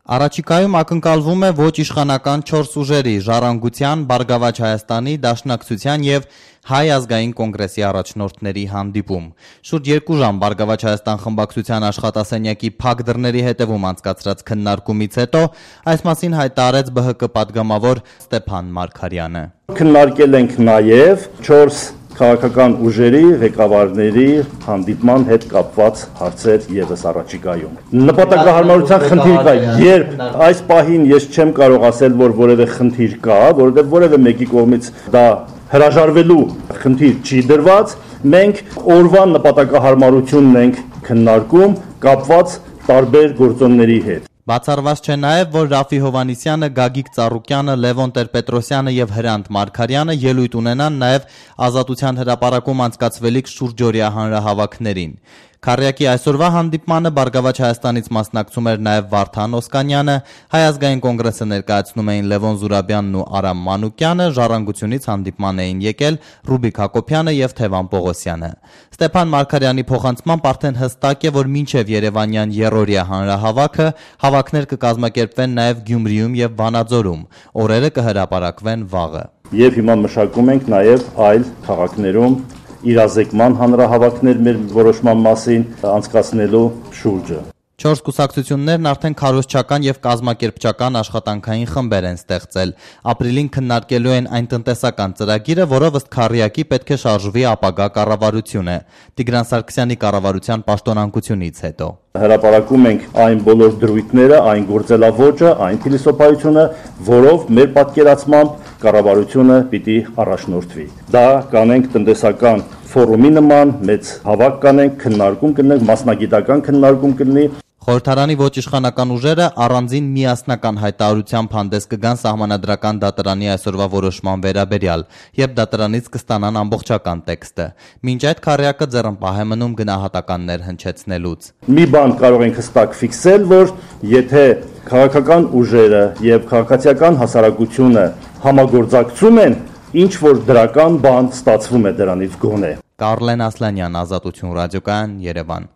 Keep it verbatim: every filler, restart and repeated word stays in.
Առաջիկայում ակնկալվում է ոչ իշխանական չորս ուժերի՝ Ժառանգության, Բարգավաճ Հայաստանի, Դաշնակցության և Հայ ազգային կոնգրեսի առաջնորդների հանդիպում։ Շուրջ երկու ժամ Բարգավաճ Հայաստան խմբակցության աշխատասենյակի փակ դռների հետևում անցկացրած քննարկումից հետո այս մասին հայտարարեց Բ Հ Կ պատգամավոր Ստեփան Մարգարյանը։ Քննարկել ենք նաև չորս քաղաքական ուժերի ղեկավարների հանդիպման հետ կապված հարցեր ևս առաջիկայում։ Նպատակահարմարության խնդիր կա, երբ այս պահին ես չեմ կարող ասել, որ որևէ խնդիր կա, որովհետև որևէ մեկի կողմից դա հրաժարվելու խնդիր չի դրված, մենք օրվա նպատակահարմարությունն ենք քննարկում կապված տարբեր գործոնների հետ։ Բացառված չէ նաև, որ Ռաֆի Հովհաննիսյանը, Գագիկ Ծառուկյանը, Լևոն Տեր-Պետրոսյանը և Հրանտ Մարգարյանը ելույթ ունենան նաև Ազատության հրապարակում անցկացվելիք շուրջօրյա հանրահավաքներին։ Քառյակի այսօրվա հանդիպմանը Բարգավաճ Հայաստանից մասնակցում էր նաև Վարդան Օսկանյանը, Հայ ազգային կոնգրեսը ներկայացնում էին Լևոն Զուրաբյանն ու Արամ Մանուկյանը, Ժառանգությունից հանդիպման էին եկել Ռուբիկ Հակոբյանը և Թևան Պողոսյանը։ Ստեփան Մարգարյանի փոխանցմամբ արդեն հստակ է, որ մինչև երևանյան եռօրյա հանրահավաքը հավաքներ կկազմակերպվեն նաև Գյումրիում և Վանաձորում, օրերը կհրապարակվեն վաղը։ Եվ հիմա մշակում ենք նաև այլ քաղաքներում իրազեկման հանրահավաքներ մեր որոշման մասին անցկացնելու շուրջը։ Չորս կուսակցություններն արդեն քարոզչական և կազմակերպչական աշխատանքային խմբեր են ստեղծել։ Ապրիլին քննարկելու են այն տնտեսական ծրագիրը, որով ըստ Քառյակի պետք է շարժվի ապագա կառավարությունը Տիգրան Սարգսյանի կառավարության պաշտոնանկությունից հետո։ Հրապարակում ենք այն բոլոր դրույթները, այն գործելավոճը, այն փիլիսոփայությունը, որով մեր պատկերացմամբ կառավարությունը պիտի առաջնորդվի։ Դա կանենք տնտեսական ֆորումի նման, մեծ հավաք կանենք, քննարկում կնենք, մասնագիտական քննարկում կլինի։ Խորհրդարանի ոչ իշխանական ուժերը առանձին միասնական հայտարարությամբ հանդես կգան Սահմանադրական դատարանի այսօրվա որոշման վերաբերյալ, երբ դատարանից կստանան ամբողջական տեքստը։ Մինչ այդ Քառյակը ձեռնպահ է մնում գնահատականներ հնչեցնելուց։ Մի բան կարող ենք հստակ ֆիքսել, որ եթե քաղաքական ուժերը եւ քաղաքացիական հասարակությունը համագործակցում են, ինչ որ դրական բան ստացվում է դրանից գոնե։ Կարլեն Ասլանյան, Ազատություն ռադիոկայան, Երևան։